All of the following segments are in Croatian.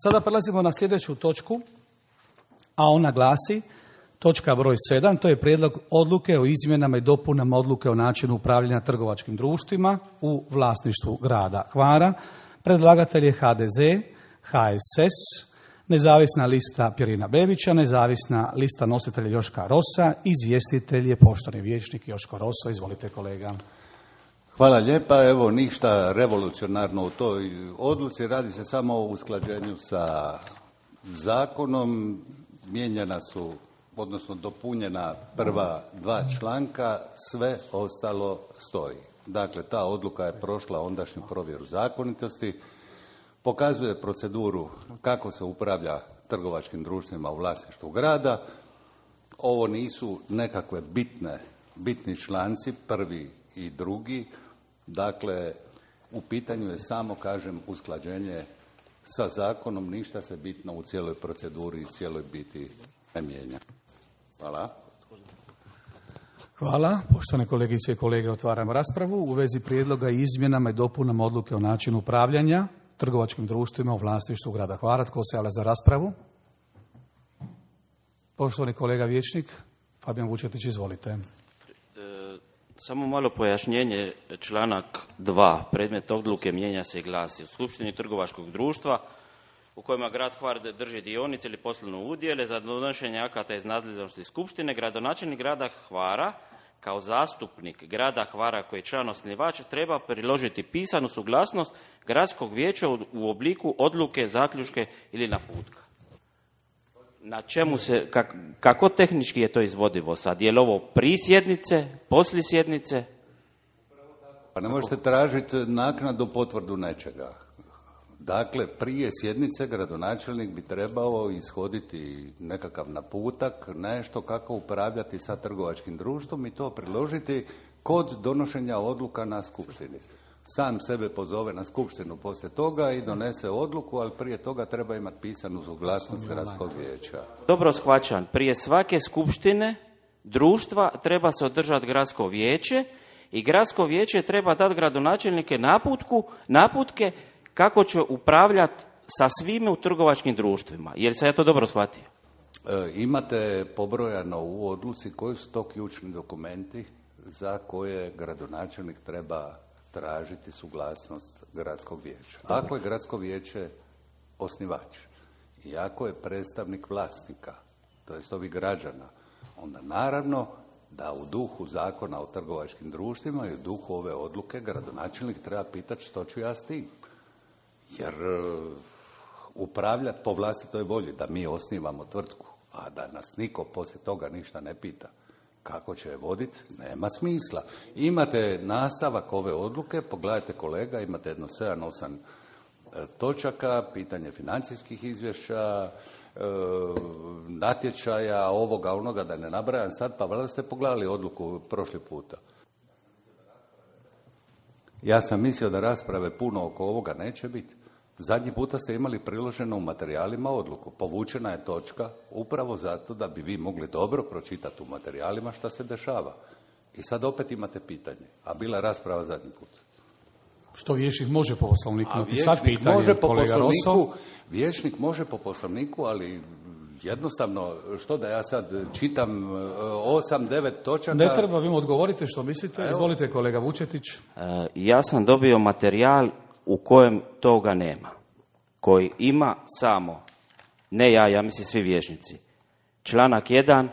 Sada prelazimo na sljedeću točku, a ona glasi, točka broj 7, to je prijedlog odluke o izmjenama i dopunama odluke o načinu upravljanja trgovačkim društvima u vlasništvu grada Hvara. Predlagatelj je HDZ, HSS, nezavisna lista Pirina Bebića, nezavisna lista nositelja Joška Rosa, izvjestitelj je poštovani vijećnik Joško Roso. Izvolite kolega. Hvala lijepa. Evo, ništa revolucionarno u toj odluci, radi se samo o usklađenju sa zakonom. Mijenjana su, odnosno dopunjena prva dva članka, sve ostalo stoji. Dakle, ta odluka je prošla ondašnju provjeru zakonitosti, pokazuje proceduru kako se upravlja trgovačkim društvima u vlasništvu grada. Ovo nisu nekakve bitni članci, prvi i drugi. Dakle, u pitanju je samo, kažem, usklađenje sa zakonom, ništa se bitno u cijeloj proceduri i cijeloj biti ne mijenja. Hvala. Hvala. Poštovane kolegice i kolege, otvaramo raspravu u vezi prijedloga i izmjenama i dopunama odluke o načinu upravljanja trgovačkim društvima u vlasništvu grada Hvara. Tko se javlja za raspravu? Poštovani kolega vijećnik Fabijan Vučetić, izvolite. Samo malo pojašnjenje, članak 2. Predmet odluke mijenja se i glasi: u skupštini trgovačkog društva u kojima grad Hvar drži dionice ili poslovne udjele, za donošenje akata iz nadležnosti skupštine, gradonačelnik grada Hvara kao zastupnik grada Hvara koji je član osnivač treba priložiti pisanu suglasnost gradskog vijeća u obliku odluke, zaključke ili naputka. Na čemu se, kako tehnički je to izvodivo sad? Je li ovo prije sjednice, poslije sjednice? Pa ne možete tražiti naknadu potvrdu nečega. Dakle, prije sjednice gradonačelnik bi trebao ishoditi nekakav naputak, nešto kako upravljati sa trgovačkim društvom i to priložiti kod donošenja odluka na skupštini. Sam sebe pozove na skupštinu poslije toga i donese odluku, ali prije toga treba imati pisanu suglasnost gradskog vijeća. Dobro shvaćam, prije svake skupštine društva treba se održati gradsko vijeće i gradsko vijeće treba dati gradonačelnike naputke kako će upravljati sa svime u trgovačkim društvima. Jer sam ja to dobro shvatio? Imate pobrojano u odluci koji su to ključni dokumenti za koje gradonačelnik treba tražiti suglasnost gradskog vijeća. Ako je gradsko vijeće osnivač i ako je predstavnik vlasnika, to jest ovih građana, onda naravno da u duhu zakona o trgovačkim društvima i u duhu ove odluke gradonačelnik treba pitati što ću ja s tim. Jer upravljati po vlastitoj volji, da mi osnivamo tvrtku, a da nas niko poslije toga ništa ne pita kako će je voditi, nema smisla. Imate nastavak ove odluke, pogledajte kolega, imate jedno 7-8 točaka, pitanje financijskih izvješća, natječaja, ovoga, onoga, da ne nabrajam sad, pa valjda ste pogledali odluku prošli puta. Ja sam mislio da rasprave puno oko ovoga neće biti. Zadnji puta ste imali priloženo u materijalima odluku. Povučena je točka upravo zato da bi vi mogli dobro pročitati u materijalima šta se dešava. I sad opet imate pitanje. A bila je rasprava zadnji put. Što vijećnik može po poslovniku? Sad pitanje, može po kolega Roso. Vijećnik može po poslovniku, ali jednostavno, što da ja sad čitam 8-9 točaka... Ne treba, vi mu odgovorite što mislite. Evo. Izvolite kolega Vučetić. Ja sam dobio materijal u kojem toga nema. Koji ima samo, ne ja mislim svi vijećnici, članak 1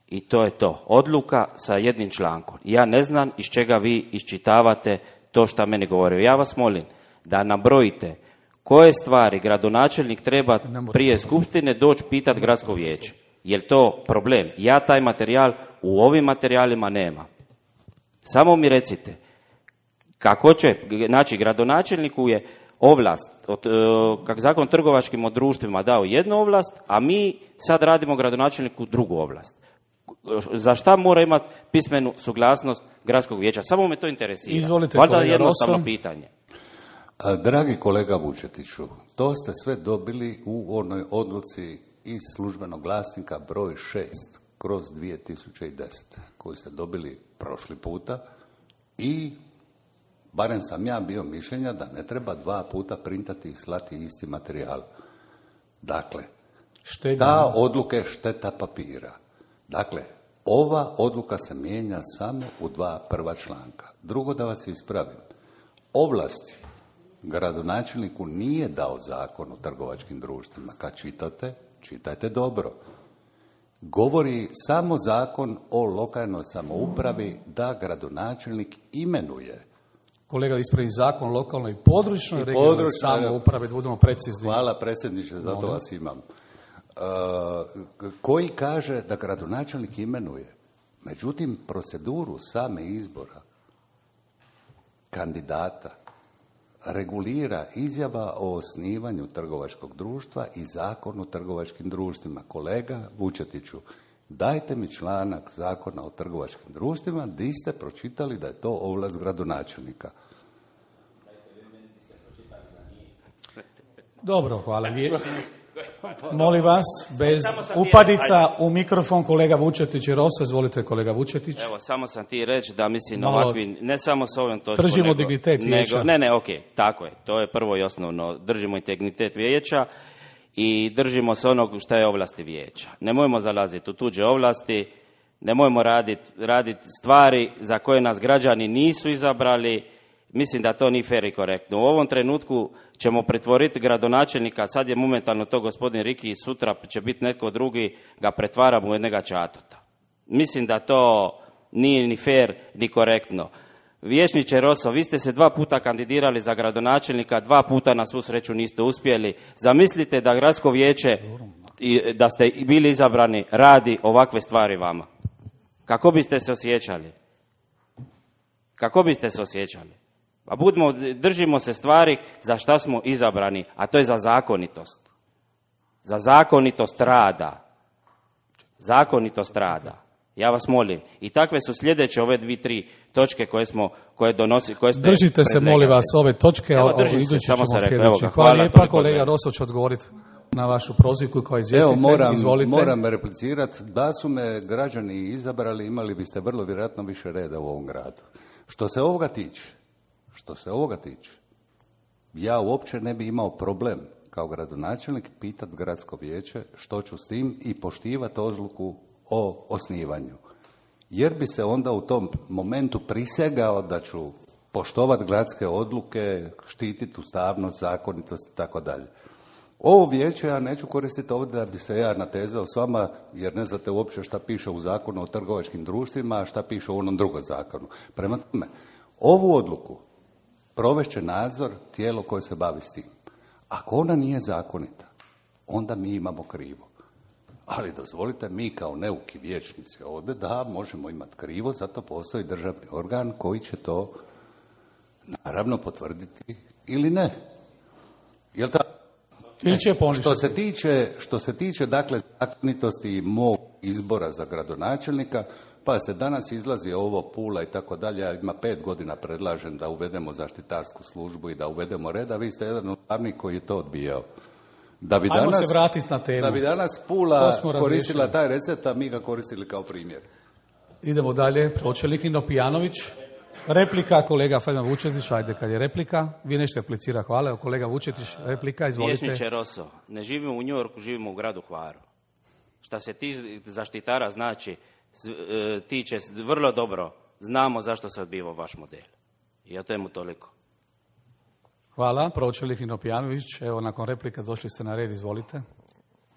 i to je to. Odluka sa jednim člankom. Ja ne znam iz čega vi iščitavate to što meni govore. Ja vas molim da nabrojite koje stvari gradonačelnik treba prije skupštine doći pitati gradsko vijeće. Je li to problem? Ja taj materijal u ovim materijalima nema. Samo mi recite kako će, znači gradonačelniku je ovlast, kako zakon o trgovačkim društvima dao jednu ovlast, a mi sad radimo gradonačelniku drugu ovlast. Za šta mora imati pismenu suglasnost gradskog vijeća? Samo me to interesira. Izvolite, valjda jednostavno pitanje. Dragi kolega Vučetiću, to ste sve dobili u onoj odluci iz službenog glasnika broj 6/2010 koju ste dobili prošli puta i barem sam ja bio mišljenja da ne treba 2 puta printati i slati isti materijal. Dakle, Štednja. ta odluka je šteta papira. Dakle, ova odluka se mijenja samo u 2 prva članka. Drugo, da vas ispravim. Ovlasti gradonačelniku nije dao Zakon o trgovačkim društvima. Kad čitate, čitajte dobro. Govori samo Zakon o lokalnoj samoupravi da gradonačelnik imenuje. Kolega, ispravi zakon o lokalnoj i područnoj regionalnoj samoupravi, da budemo precizni. Hvala predsjedniče, zato vas imam. Koji kaže da gradonačelnik imenuje. Međutim, proceduru same izbora kandidata regulira izjava o osnivanju trgovačkog društva i Zakon o trgovačkim društvima. Kolega Vučetiću, dajte mi članak Zakona o trgovačkim društvima gdje ste pročitali da je to ovlast gradonačelnika. Dobro, hvala lijepo. Molim vas, bez upadica u mikrofon, kolega Vučetić i Roso. Izvolite, kolega Vučetić. Evo, samo sam ti reći da mislim Malo ovakvi, ne samo s ovim točkom, držimo dignitet vijeća. Ne, okej, tako je, to je prvo i osnovno. Držimo integritet vijeća i držimo se onog što je ovlasti vijeća. Nemojmo zalaziti u tuđe ovlasti, nemojmo raditi stvari za koje nas građani nisu izabrali. Mislim da to nije fer i korektno. U ovom trenutku ćemo pretvoriti gradonačelnika, sad je momentalno to gospodin Riki, sutra će biti netko drugi, ga pretvaramo u jednoga čatota. Mislim da to nije ni fer ni korektno. Vijećniče Roso, vi ste se 2 puta kandidirali za gradonačelnika, 2 puta na svu sreću niste uspjeli. Zamislite da gradsko vijeće, da ste bili izabrani, radi ovakve stvari vama. Kako biste se osjećali? Kako biste se osjećali? Pa držimo se stvari za šta smo izabrani, a to je za zakonitost. Za zakonitost rada. Zakonitost rada. Ja vas molim. I takve su sljedeće ove 2-3 točke koje donosi, koje ste držite se, molim vas, ove točke, a idući ćemo sljedeći. Hvala lijepa, kolega Roso će odgovoriti na vašu prozivku kao izvjestitelj. Evo, moram replicirati. Da su me građani izabrali, imali biste vrlo vjerojatno više reda u ovom gradu. Što se ovoga tiče, ja uopće ne bi imao problem kao gradonačelnik pitati gradsko vijeće što ću s tim i poštivati odluku o osnivanju. Jer bi se onda u tom momentu prisegao da ću poštovati gradske odluke, štititi ustavnost, zakonitost i tako dalje. Ovo vijeće ja neću koristiti ovdje da bi se ja natezao s vama, jer ne znate uopće šta piše u Zakonu o trgovačkim društvima, a šta piše u onom drugom zakonu. Prema tome, ovu odluku provešće nadzor tijelo koje se bavi s tim. Ako ona nije zakonita, onda mi imamo krivo. Ali dozvolite, mi kao neuki vijećnici ovdje, da, možemo imati krivo, zato postoji državni organ koji će to naravno potvrditi ili ne. Jel tako? Ili će poništiti. Što se tiče dakle zakonitosti mog izbora za gradonačelnika, pa se danas izlazi ovo Pula i tako dalje, ja ima 5 godina predlažem da uvedemo zaštitarsku službu i da uvedemo reda, vi ste jedan od glavnih koji je to odbijao. Ajmo se vratiti na temu. Da bi danas Pula koristila taj recept, a mi ga koristili kao primjer. Idemo dalje, pročelnik Nino Pijanović. Replika, kolega Fajman Vučetić, ajde kad je replika. Vi nešto replicira, hvala. Kolega Vučetić, replika, izvolite. Vijećniče Roso, ne živimo u New Yorku, živimo u gradu Hvaru. Šta se ti zaštitara znači, tiče vrlo dobro, znamo zašto se odbivao vaš model. I o temu toliko. Hvala, pročelnik Nino Pijanović. Evo, nakon replika došli ste na red, izvolite.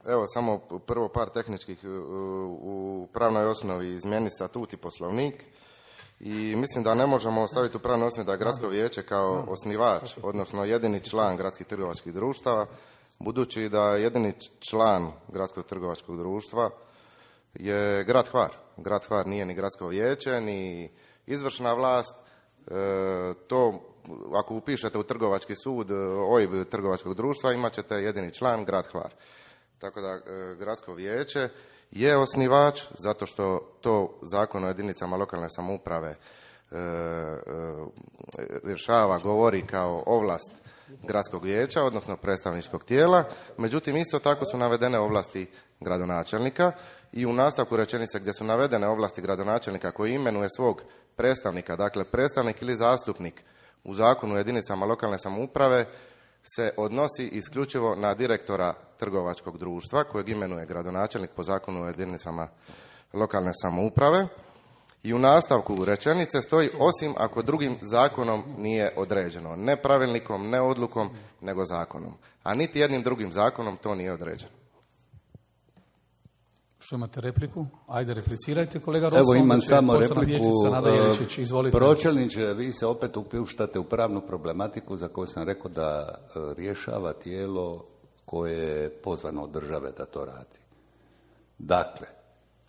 Evo, samo prvo par tehničkih u pravnoj osnovi izmjeni statut i poslovnik. I mislim da ne možemo ostaviti u pravnoj osnovi da je gradsko vijeće kao osnivač, odnosno jedini član gradskih trgovačkih društava, budući da jedini član gradskog trgovačkog društva je grad Hvar. Grad Hvar nije ni gradsko vijeće, ni izvršna vlast. To, ako upišete u trgovački sud OIB trgovačkog društva, imat ćete jedini član, grad Hvar. Tako da gradsko vijeće je osnivač, zato što to Zakon o jedinicama lokalne samouprave rješava, govori kao ovlast gradskog vijeća, odnosno predstavničkog tijela. Međutim, isto tako su navedene ovlasti gradonačelnika i u nastavku rečenice gdje su navedene ovlasti gradonačelnika koji imenuje svog predstavnika, dakle predstavnik ili zastupnik u Zakonu o jedinicama lokalne samouprave, se odnosi isključivo na direktora trgovačkog društva kojeg imenuje gradonačelnik po Zakonu o jedinicama lokalne samouprave. I u nastavku rečenice stoji osim ako drugim zakonom nije određeno. Ne pravilnikom, ne odlukom, nego zakonom. A niti jednim drugim zakonom to nije određeno. Što imate repliku? Ajde, replicirajte, kolega Rosso. Evo imam samo repliku. Nada Jeličić, izvolite. Pročelniče, vi se opet upuštate u pravnu problematiku za koju sam rekao da rješava tijelo koje je pozvano od države da to radi.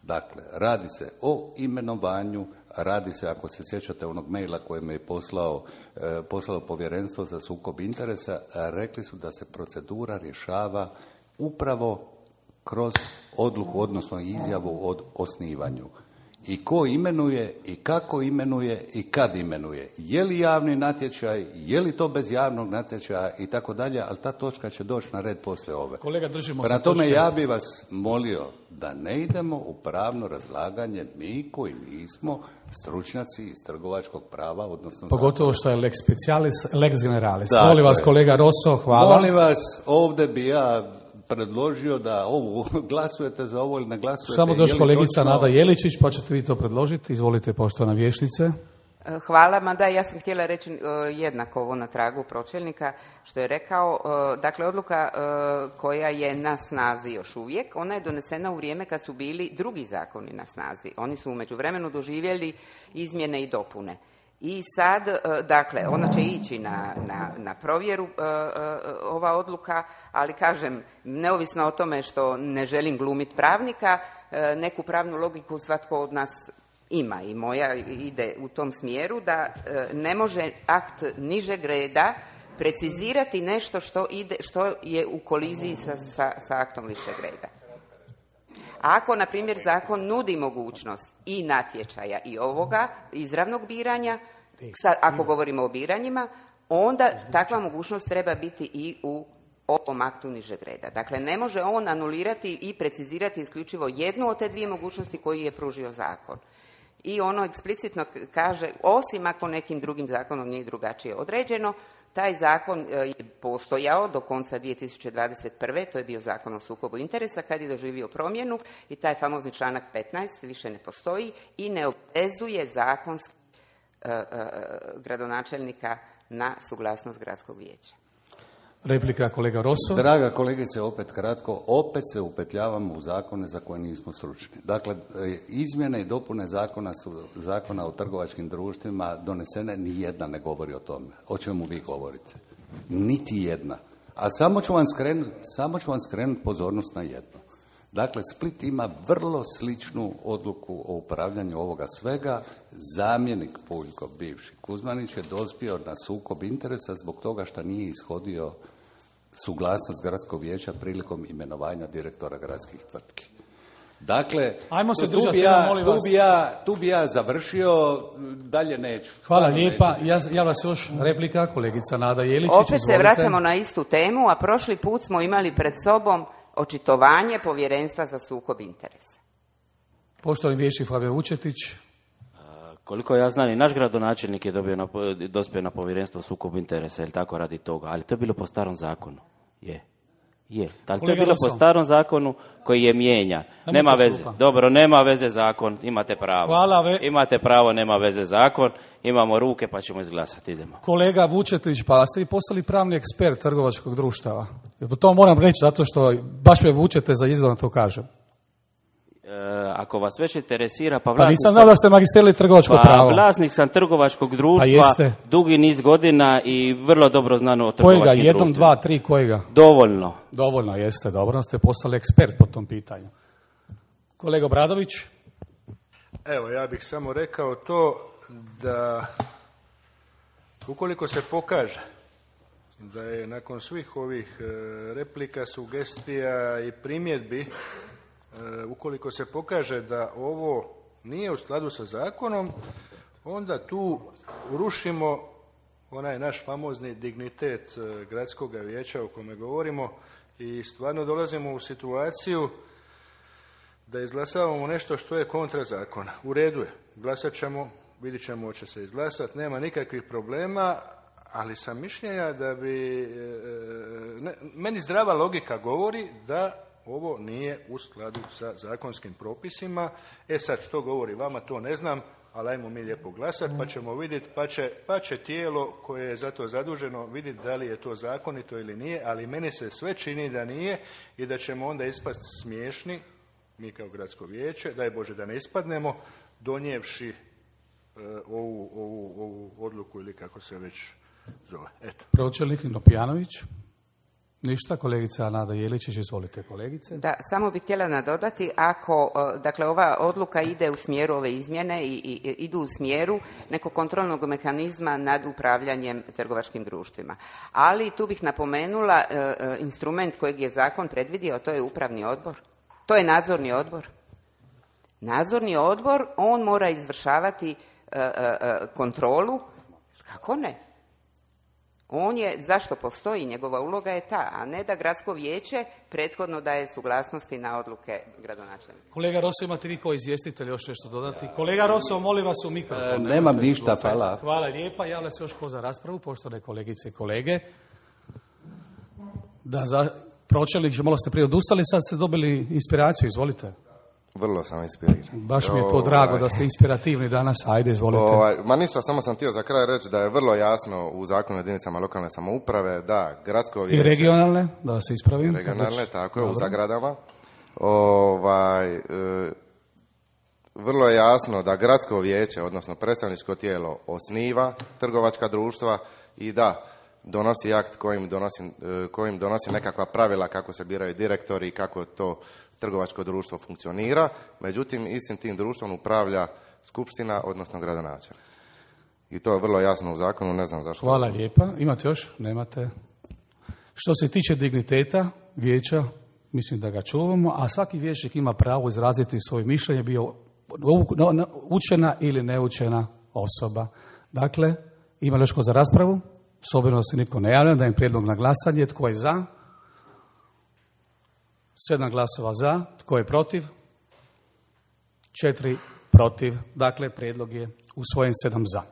Dakle, radi se o imenovanju, radi se, ako se sjećate onog maila koje me je poslalo Povjerenstvo za sukob interesa, rekli su da se procedura rješava upravo kroz odluku, odnosno izjavu o osnivanju. I ko imenuje, i kako imenuje, i kad imenuje. Je li javni natječaj, je li to bez javnog natječaja i tako dalje, ali ta točka će doći na red poslije ove. Kolega, držimo se Prema tome, točke. ja bi vas molio da ne idemo u pravno razlaganje mi koji nismo stručnjaci iz trgovačkog prava, odnosno... Pogotovo što je lex specialis, lex generalis. Dakle, Molim vas, kolega Rosso, hvala. Molim vas, ovdje bi ja predložio da glasujete za ovo ili ne glasujete. Samo doći kolegica točno... Nada Jeličić, pa ćete vi to predložiti. Izvolite, poštovana vijećnice. Hvala, mada ja sam htjela reći jednako ovo na tragu pročelnika što je rekao. Dakle, odluka koja je na snazi još uvijek, ona je donesena u vrijeme kad su bili drugi zakoni na snazi. Oni su u međuvremenu doživjeli izmjene i dopune. I sad, dakle, ona će ići na provjeru ova odluka, ali kažem, neovisno o tome što ne želim glumiti pravnika, neku pravnu logiku svatko od nas ima i moja ide u tom smjeru da ne može akt nižeg reda precizirati nešto što je u koliziji sa aktom višeg reda. Ako, na primjer, zakon nudi mogućnost i natječaja i ovoga izravnog biranja, ako govorimo o biranjima, onda takva mogućnost treba biti i u ovom aktu nižeg reda. Dakle, ne može on anulirati i precizirati isključivo jednu od te dvije mogućnosti koju je pružio zakon. I ono eksplicitno kaže, osim ako nekim drugim zakonom nije drugačije određeno, taj zakon je postojao do konca 2021. To je bio zakon o sukobu interesa kad je doživio promjenu i taj famozni članak 15 više ne postoji i ne obvezuje zakonski gradonačelnika na suglasnost gradskog vijeća. Replika, kolega Rosso. Draga kolegice, opet kratko, opet se upetljavamo u zakone za koje nismo stručni. Dakle, izmjene i dopune zakona o trgovačkim društvima donesene, ni jedna ne govori o tome. O čemu vi govorite? Niti jedna. A samo ću vam skrenuti pozornost na jedno. Dakle, Split ima vrlo sličnu odluku o upravljanju ovoga svega. Zamjenik Puljko, bivši Kuzmanić, je dospio na sukob interesa zbog toga što nije ishodio suglasnost gradskog vijeća prilikom imenovanja direktora gradskih tvrtki. Dakle, ajmo se držati, molim vas. Tu bi ja završio, dalje neću. Hvala lijepa. Ja vas još replika, kolegica Nada Jeličić. Opet izvolite. se vraćamo na istu temu, a prošli put smo imali pred sobom očitovanje Povjerenstva za sukob interesa. Poštovani vijećnik Fabio Vučetić. Koliko ja znam, i naš gradonačelnik je dospio na Povjerenstvo sukob interesa, ili tako radi toga, ali to je bilo po starom zakonu. Je. Ali to je bilo po starom zakonu koji je mijenjan. Nema veze. Dobro, nema veze zakon, imate pravo. Imate pravo, nema veze zakon, imamo ruke pa ćemo izglasati, idemo. Kolega Vučetić, pa ste vi postali pravni ekspert trgovačkog društava. To moram reći zato što baš me vučete za izgled, to kažem. Ako vas već interesira, pa nisam znao da ste magisterili trgovačko pravo. Vlasnik sam trgovačkog društva, dugi niz godina i vrlo dobro znano o trgovačkim društvima. Kojega? 1, 2, 3, kojega? Dovoljno. Dovoljno, jeste, dobro, ste postali ekspert po tom pitanju. Kolega Bradović? Evo, ja bih samo rekao to da ukoliko se pokaže da je nakon svih ovih replika, sugestija i primjedbi, ukoliko se pokaže da ovo nije u skladu sa zakonom, onda tu rušimo onaj naš famozni dignitet gradskog vijeća o kome govorimo i stvarno dolazimo u situaciju da izglasavamo nešto što je kontra zakona. U redu je, glasat ćemo, vidit ćemo hoće se izglasati, nema nikakvih problema, ali sam mišljenja da bi, meni zdrava logika govori da ovo nije u skladu sa zakonskim propisima. Sad što govori vama, to ne znam, ali ajmo mi lijepo glasati pa ćemo vidjeti, pa će tijelo koje je za to zaduženo vidjeti da li je to zakonito ili nije, ali meni se sve čini da nije i da ćemo onda ispasti smiješni, mi kao gradsko vijeće, daj Bože da ne ispadnemo, donijevši ovu odluku ili kako se već zove. Eto. Pročelnik Nino Pijanović. Ništa, kolegica Nada Jeličić, izvolite kolegice. Da, samo bih htjela nadodati, ako, dakle, ova odluka ide u smjeru ove izmjene i idu u smjeru nekog kontrolnog mehanizma nad upravljanjem trgovačkim društvima. Ali tu bih napomenula instrument kojeg je zakon predvidio, to je upravni odbor. To je nadzorni odbor. Nadzorni odbor, on mora izvršavati kontrolu, kako ne? On je, zašto postoji, njegova uloga je ta, a ne da gradsko vijeće prethodno daje suglasnosti na odluke gradonačelnika. Kolega Roso, imate vi kao izvjestitelj još nešto dodati? Kolega Roso, molim vas u mikrofon. Nemam ništa, hvala. Hvala lijepa, javlja se još ko za raspravu, poštovane kolegice i kolege. Pročelnik, malo ste prije odustali, sad ste dobili inspiraciju, izvolite. Vrlo sam inspiriran. Baš mi je to drago da ste inspirativni danas, ajde, izvolite. Ma ništa, samo sam htio za kraj reći da je vrlo jasno u zakonu o jedinicama lokalne samouprave da gradsko vijeće... I regionalne, da se ispravim. I regionalne, tako je, u zagradama. Vrlo je jasno da gradsko vijeće, odnosno predstavničko tijelo, osniva trgovačka društva i da donosi akt kojim donosi nekakva pravila kako se biraju direktori i kako to trgovačko društvo funkcionira, međutim istim tim društvom upravlja skupština, odnosno gradonačelnik. I to je vrlo jasno u zakonu, ne znam zašto. Hvala lijepa. Imate još? Nemate. Što se tiče digniteta vijeća, mislim da ga čuvamo, a svaki vijećnik ima pravo izraziti svoje mišljenje, bio učena ili neučena osoba. Dakle, ima li još ko za raspravu? S obzirom da se nitko ne javlja, dajem prijedlog na glasanje. Tko je za? 7 glasova za. Tko je protiv? 4 protiv. Dakle, prijedlog je usvojen 7 za.